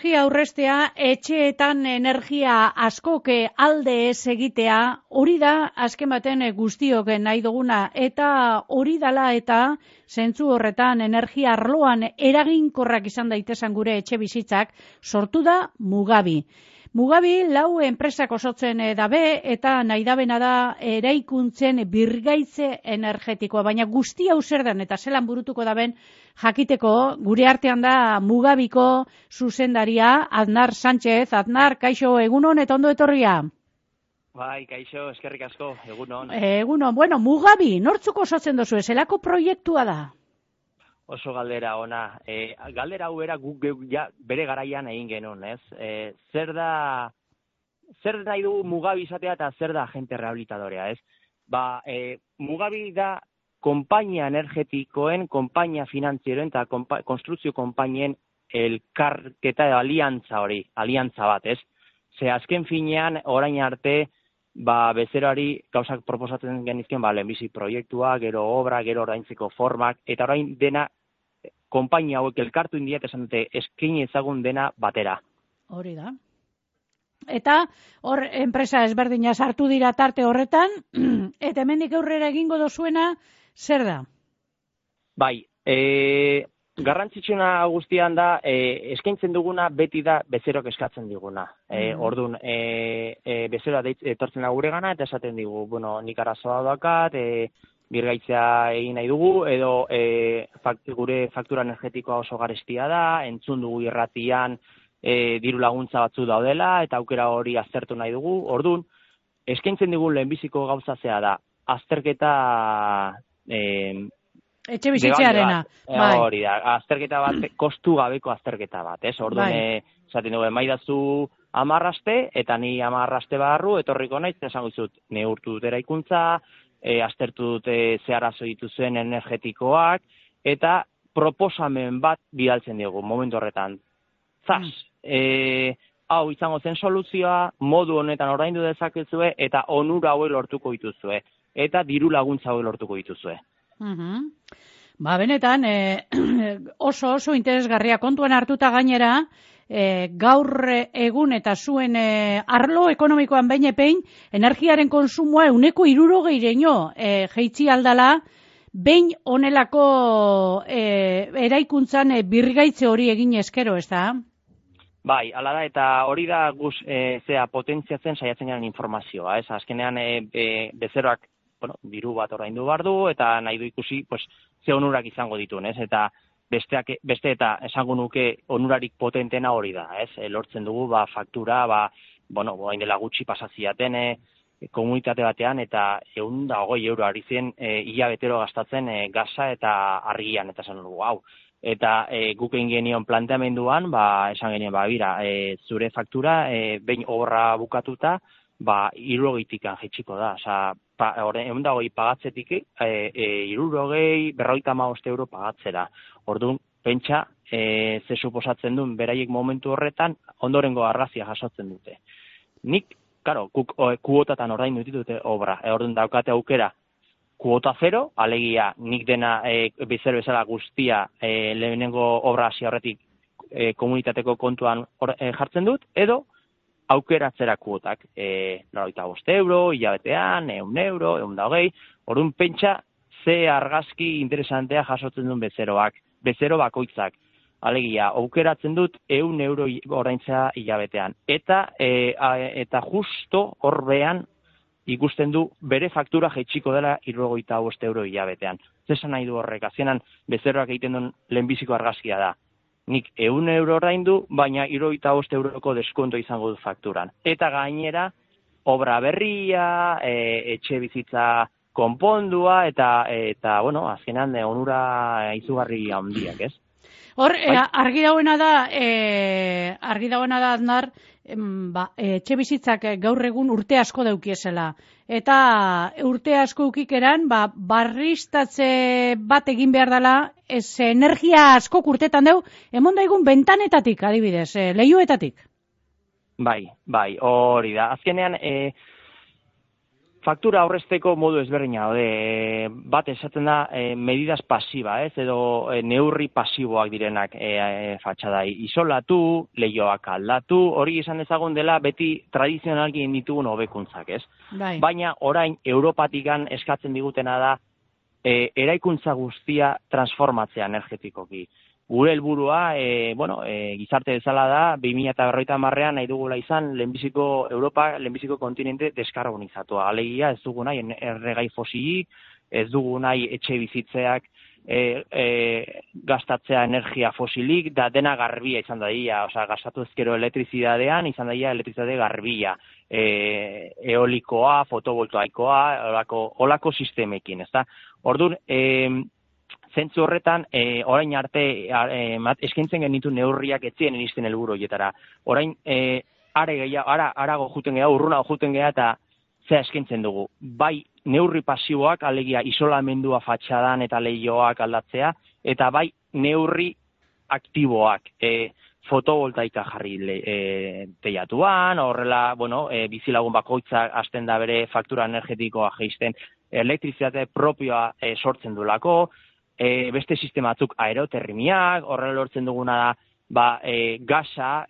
energia aurrestea, etxeetan energia askoke alde ez egitea, hori da azken baten guztiok nahi duguna, eta hori dala eta zentzu horretan energia arloan eraginkorrak izan daitezen gure etxe bizitzak, sortu da Mugabi. Mugabi 4 enpresak osatzen dabe eta nahi dabena da eraikuntzen birgaitze energetikoa, baina guzti hau zer den eta zelan burutuko daben jakiteko gure artean da Mugabiko zuzendaria Aznar Sánchez. Aznar, kaixo, egunon eta ondo etorria. Bai, kaixo, eskerrik asko, egunon. Egunon, bueno, Mugabi, nortzuk osatzen dozu, zelako proiektua da? Oso galdera ona. Galdera hau era guk ja bere garaian egin genuen, ez? Zer nahi du Mugabi izatea eta zer da agente rehabilitadorea, ez? Mugabi da konpainia energetikoen, konpainia finantzieroen eta konstrukzio konpainien elkarketa edo aliantza bat, ez? Ze azken finean, orain arte, bezeroari gauzak proposatzen genizken, lehenbizi proiektua, gero obra, gero oraintzeko formak, eta orain dena konpainia hauek elkartu indiat esan dute eskaini ezagun dena batera. Hori da. Eta hor enpresa ezberdina sartu dira tarte horretan, eta hemendik aurrera egingo dozuena, zer da? Bai, garrantzitsuna guztian da, eskaintzen duguna beti da bezerok eskatzen diguna. Orduan, bezera etortzen da gure gana, eta esaten digu, nik arazoa dakat, birgaitzea egin nahi dugu, edo gure faktura energetikoa oso garestia da, entzun dugu irratian diru laguntza batzu daudela, eta aukera hori aztertu nahi dugu. Orduan, eskaintzen digu lehenbiziko gauza zea da, azterketa etxe bizitzearena. Hori da, azterketa bat, kostu gabeko azterketa bat, ez? Orduan, esaten dugu, emaidazu 10 aste, eta ni 10 aste barru, etorriko naiz, esango dizut, neurtu dut eraikuntza, aztertu dute ze arazo dituzuen energetikoak, eta proposamen bat bidaltzen dugu, momentu horretan. Hau izango zen soluzioa, modu honetan oraindu dezakezue, eta onura hauek lortuko dituzue, eta diru laguntza hauek lortuko dituzue. Benetan, oso interesgarria kontuan hartuta gainera, gaur egun eta zuen arlo ekonomikoan behin epein, energiaren konsumoa 60%-ino jeitzi aldala, behin honelako eraikuntzan birgaitze hori egin eskero, ez da? Bai, ala da, eta hori da guz potentziatzen saiatzen garen informazioa, ez? Azkenean bezeroak diru bat oraindu behar du, eta nahi du ikusi, ze onurak izango dituen, ez? Eta beste eta esango nuke onurarik potentena hori da, ez? Lortzen dugu, faktura, hain dela gutxi pasaziaten komunitate batean, eta 120 euro ari zen hilabetero gastatzen gaza eta argian, eta esan dugu, hau. Eta guk egin genion planteamenduan, esan genien, zure faktura, behin obra bukatuta, 60 jaitsiko da. Osa, 120 pagatzetik, 50 euro pagatzera. Orduan, pentsa, ze suposatzen duen beraiek momentu horretan, ondorengo argazia jasotzen dute. Nik, kuotatan orain dute obra. Orduan daukate aukera, kuota 0, alegia nik dena bezer bezala guztia lehenengo obra hasi horretik komunitateko kontuan jartzen dut, edo aukeratzera kuotak, 95 euro, hilabetean, 100 euro, 120, orduan pentsa ze argazki interesantea jasotzen duen bezero bakoitzak. Alegia, aukeratzen dut 100 euro oraintzea hilabetean. Eta justo horbean ikusten du bere faktura jaitsiko dela 75 euro hilabetean. Zesan nahi du horrek, azkenan bezeroak egiten duen lehenbiziko argazkia da. Nik 100 euro oraindu, baina 75 euroko deskonto izango du fakturan. Eta gainera, obra berria, etxe bizitza konpondua, eta azkenan onura izugarri handiak, ez? Hor, argi dagoena da, Aznar, etxe bizitzak gaur egun urte asko daukiesela. Eta urte asko ukikeran, barriztatze bat egin behar dela, energia asko urtetan deu, emon daigun bentanetatik, adibidez, leihoetatik. Bai, hori da. Azkenean, faktura aurrezteko modu ezberdina daude. Bat esaten da medidas pasiba, edo neurri pasiboak direnak fatxadai. Isolatu, leihoak aldatu, hori izan dezagun dela beti tradizionalki ditugun hobekuntzak, ez? Bai. Baina orain Europatikan eskatzen digutena da eraikuntza guztia transformatzea energetikoki. Gure helburua, gizarte bezala da, 2050ean nahi dugula izan Europa, lehenbiziko kontinente deskarbonizatua. Alegia ez dugu nahi erregai fosilik, ez dugu nahi etxe bizitzeak gastatzea energia fosilik, da dena garbia izan daia, gastatu ezkero elektrizidadean, izan daia elektrizidade garbia, eolikoa, fotovoltaikoa, olako sistemekin, ezta? Orduan, zentzu horretan, orain arte eskaintzen genitu neurriak etzien iristen helburu horietara. Orain, arago juten geha, urrunago juten geha, eta zea eskaintzen dugu. Bai, neurri pasiboak, alegia isolamendua fatxadan eta leihoak aldatzea, eta bai, neurri aktiboak, fotovoltaika jarri teiatuan, horrela, bizilagun bakoitzak hasten da bere faktura energetikoa jeisten, elektrizitate propioa sortzen duelako, beste sistema batzuk aerotermimiak, horrela lortzen duguna da, gasa,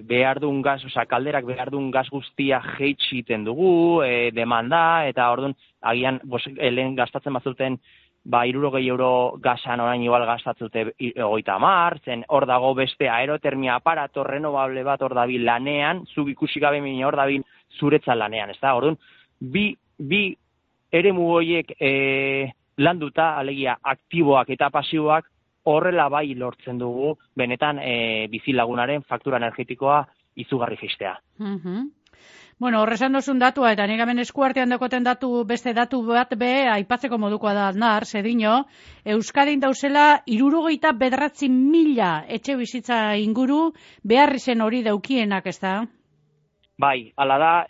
behar duen gas, kalderak behar duen gas guztia jeitsiten dugu, demanda, eta orduan, agian, lehen gastatzen bazuten, 60 euro gasan orain igual gastatzute 30, zen hor dago beste aerotermia aparato renovable bat hor dabil lanean, zuk ikusi gabe min hor dabil zuretzat lanean, ez da? Orduan, bi eremu horiek landuta, alegia aktiboak eta pasiboak, horrela bai lortzen dugu, benetan bizilagunaren faktura energetikoa izugarri fistea. Bueno, horrezan dozun datua, eta nire hemen eskuartean dakoten beste datu bat aipatzeko modukoa da Aznar, zedino, Euskadin dauzela 69.000 etxe bizitza inguru, behar izen hori daukienak, ez da? Bai, ala da,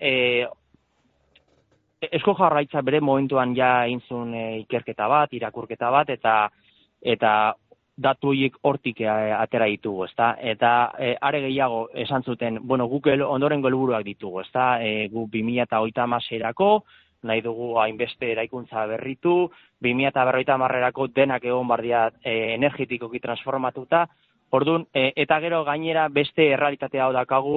Eusko Jaurlaritza bere momentuan ja intzun ikerketa bat, irakurketa bat, eta datu horiek hortik atera ditugu, ezta? Eta are gehiago esan zuten, guk ondorengo helburuak ditugu, ezta? Gu 2030erako nahi dugu hainbeste eraikuntza berritu, 2050erako denak egon bardia energetikoki transformatuta. Orduan, eta gero gainera beste errealitatea hau dakagu,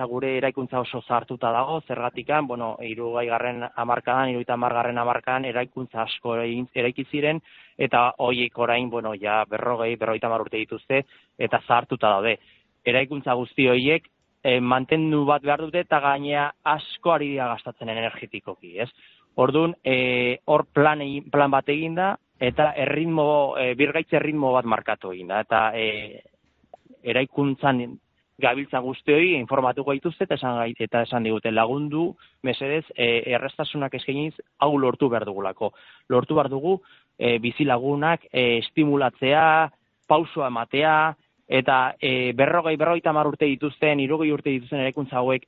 gure eraikuntza oso zahartuta dago, zergatikan, 60. hamarkadan, 70. hamarkadan eraikuntza asko eraiki ziren, eta horiek orain, 50 urte dituzte, eta zahartuta daude. Eraikuntza guzti horiek mantendu bat behar dute, eta gainera asko ari dira gastatzen energetikoki, ez? Orduan, hor plan bat eginda, eta birgaitze erritmo bat markatu eginda, eta eraikuntzan gabiltza guztioi informatuko dituzte eta esan digute lagundu, mesedez, errestasunak eskainiz hau lortu behar dugulako. Lortu behar dugu bizilagunak estimulatzea, pausua ematea, eta 50 urte dituzten, 60 urte dituzten eraikuntza hauek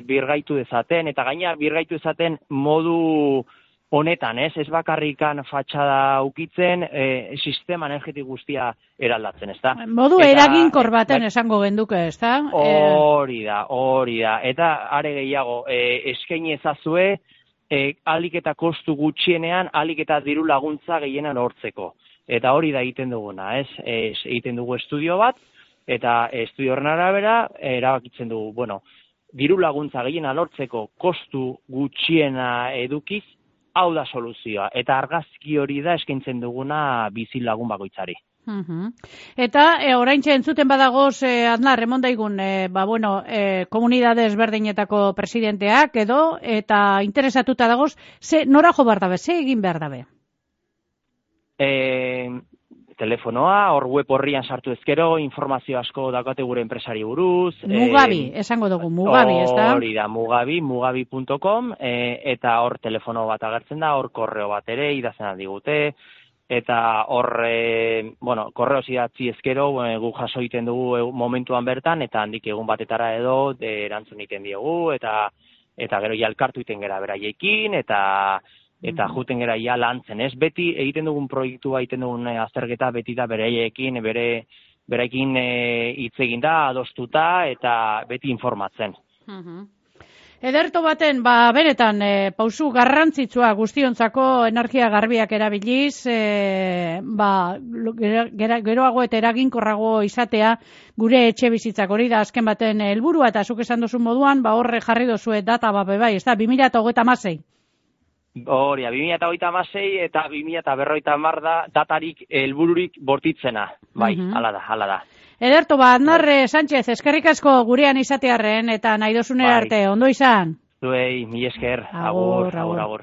birgaitu dezaten, eta gaina birgaitu dezaten modu honetan, ez bakarrikan fatxada ukitzen, sistema energetik guztia eraldatzen, ez da? Modu eraginkor baten esango genduke, ez da? Hori da. Eta are gehiago, eskaini ezazue, ahalik eta kostu gutxienean, ahalik eta diru laguntza gehienan hortzeko. Eta hori da egiten duguna, ez? Egiten dugu estudio bat, eta estudio horren arabera, erabakitzen dugu, diru laguntza gehiena lortzeko kostu gutxiena edukiz, hau da soluzioa, eta argazki hori da eskaintzen duguna bizilagun bakoitzari. Eta oraintxe entzuten badagoz, Aznar, emondaigun, komunidade ezberdinetako presidenteak edo, eta interesatuta dagoz, nora jo behar dabe, ze egin behar dabe? Telefonoa, hor web horrian sartu ezkero, informazio asko daukate gure enpresari buruz. Mugabi, esango dugu, Mugabi, ez da? Hori da, mugabi.com, eta hor telefono bat agertzen da, hor korreo bat ere, idazena digute, eta hor, korreo zidatzi ezkero, guk jaso egiten dugu momentuan bertan, eta handik egun batetara edo, erantzun egiten diogu, eta gero jalkartu egiten gera beraiekin, eta juten gera ja lantzen, ez? Beti egiten dugun proiektua, egiten dugun azterketa, beti da beraiekin, berekin hitz egin da, adostuta, eta beti informatzen. Ederto baten, benetan, pausu garrantzitsua guztiontzako energia garbiak erabiliz, geroago eta eraginkorrago izatea gure etxe bizitzak hori da azken baten helburua eta zuk esan duzun moduan, horre jarri dozue data bai, ez da, 2036. Hori, 2036 eta 2050 da datarik helbururik bortitzena, bai, hala da. Ederto, Aznar Sánchez, eskerrik asko gurean izatearren eta nahi dozunera arte, ondo izan? Zuei, mi esker, agur.